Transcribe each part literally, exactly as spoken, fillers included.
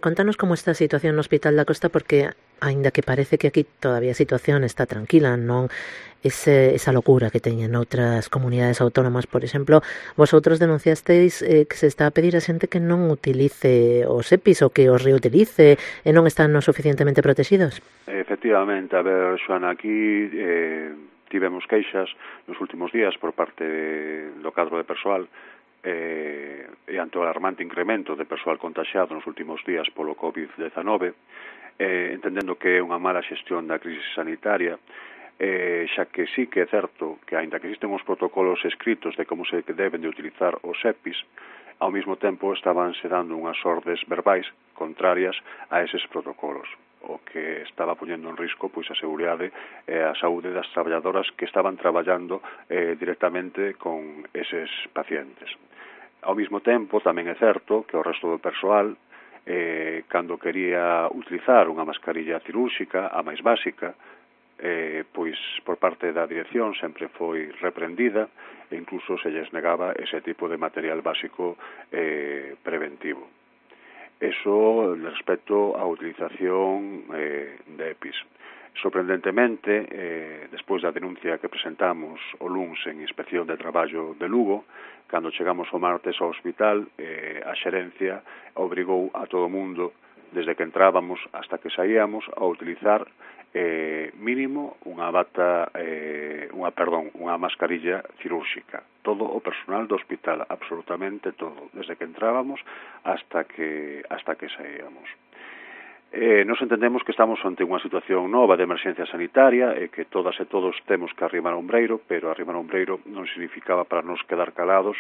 Contanos como está a situación no Hospital da Costa, porque aínda que parece que aquí todavía a situación está tranquila, non ese, esa locura que teñen outras comunidades autónomas, por exemplo, vosotros denunciasteis eh, que se está a pedir a xente que non utilice os EPIs ou que os reutilice e non están no suficientemente protegidos? Efectivamente, a ver, Xoana, aquí eh, tivemos queixas nos últimos días por parte do cadro de persoal eh, e ante o alarmante incremento de persoal contaxiado nos últimos días polo covid dezenove, eh, entendendo que é unha mala xestión da crise sanitaria, eh, xa que sí que é certo que, aínda que existen os protocolos escritos de como se deben de utilizar os EPIs, ao mesmo tempo estaban se dando unhas ordes verbais contrarias a eses protocolos, o que estaba poñendo en risco pois a seguridade e a saúde das traballadoras que estaban traballando eh, directamente con eses pacientes. Ao mesmo tempo, tamén é certo que o resto do persoal, eh, cando quería utilizar unha mascarilla cirúrxica, a máis básica, eh, pois por parte da dirección sempre foi reprendida e incluso se lles negaba ese tipo de material básico eh, preventivo. Eso respecto á utilización eh, de EPIs. Sorprendentemente, eh, despois da denuncia que presentamos o luns en Inspección de Traballo de Lugo, cando chegamos o martes ao hospital, eh, a xerencia obrigou a todo o mundo, desde que entrábamos hasta que saíamos, a utilizar eh, mínimo unha bata, eh, unha, perdón, unha mascarilla cirúrxica. Todo o personal do hospital, absolutamente todo, desde que entrábamos hasta que, hasta que saíamos. Eh, nos entendemos que estamos ante unha situación nova de emerxencia sanitaria e que todas e todos temos que arrimar o ombreiro, pero arrimar o ombreiro non significaba para nos quedar calados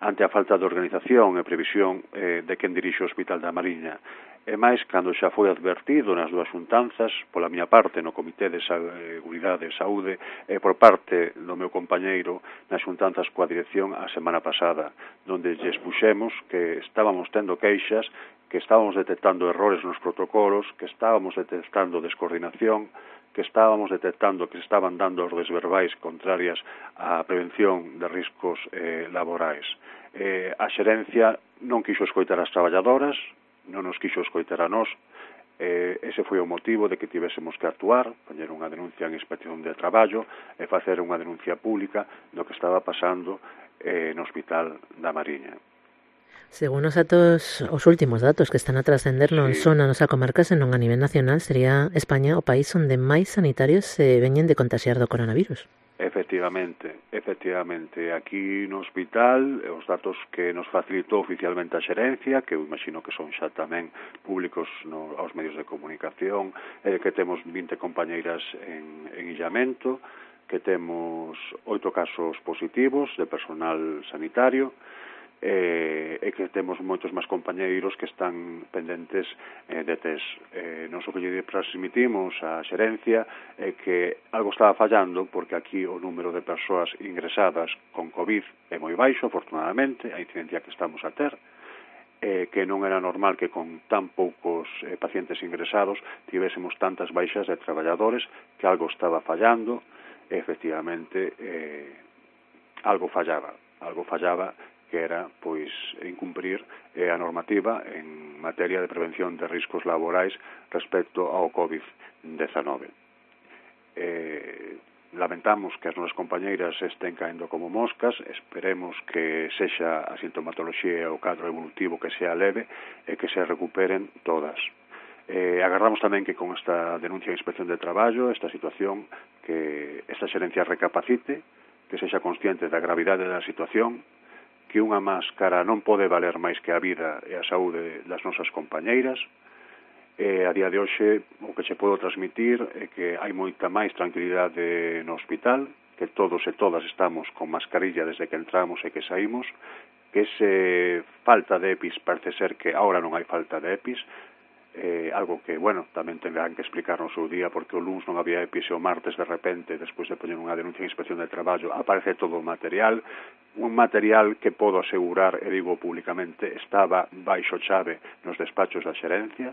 ante a falta de organización e previsión eh, de quen dirixe o Hospital da Mariña. E máis, cando xa foi advertido nas dúas xuntanzas, pola miña parte no Comité de Seguridade e Saúde e por parte do meu compañeiro nas xuntanzas coa dirección a semana pasada, onde lles puxemos que estábamos tendo queixas, que estábamos detectando errores nos protocolos, que estábamos detectando descoordinación, que estábamos detectando que se estaban dando ordes verbais contrarias á prevención de riscos eh, laborais. Eh, a xerencia non quixo escoitar as traballadoras, non nos quixo escoitar a nós, eh, ese foi o motivo de que tivésemos que actuar, poñer unha denuncia en Inspección de Traballo e facer unha denuncia pública do que estaba pasando eh, no Hospital da Mariña. Según os datos, os últimos datos que están a trascender non Sí. son a nosa comarca, senón a nivel nacional, sería España o país onde máis sanitarios se veñen de contaxiar do coronavirus. Efectivamente, efectivamente. Aquí no hospital, os datos que nos facilitou oficialmente a xerencia, que eu imagino que son xa tamén públicos no, aos medios de comunicación, é que temos vinte compañeiras en, en illamento, que temos oito casos positivos de personal sanitario, eh, e que temos moitos máis compañeiros que están pendentes eh, de test. Eh, non o que lle transmitimos á xerencia é que algo estaba fallando, porque aquí o número de persoas ingresadas con COVID é moi baixo, afortunadamente, a incidencia que estamos a ter, eh, que non era normal que con tan poucos eh, pacientes ingresados tivésemos tantas baixas de traballadores, que algo estaba fallando, e efectivamente eh, algo fallaba, algo fallaba que era, pois, incumprir eh, a normativa en materia de prevención de riscos laborais respecto ao covid dezenove. Eh, lamentamos que as nosas compañeiras estén caendo como moscas, esperemos que sexa a sintomatoloxía e o cadro evolutivo que sea leve e que se recuperen todas. Eh, agardamos tamén que con esta denuncia de Inspección de Traballo, esta situación, que esta xerencia recapacite, que sexa consciente da gravidade da situación, que unha máscara non pode valer máis que a vida e a saúde das nosas compañeiras. E a día de hoxe o que se pode transmitir é que hai moita máis tranquilidade no hospital, que todos e todas estamos con mascarilla desde que entramos e que saímos, que ese falta de EPIs parece ser que ahora non hai falta de EPIs, eh, algo que, bueno, tamén tendrán que explicar no seu día, porque o luns non había EPIs e o martes de repente, despois de poñer unha denuncia en Inspección de Traballo, aparece todo o material, un material que podo asegurar, e digo públicamente, estaba baixo chave nos despachos da xerencia,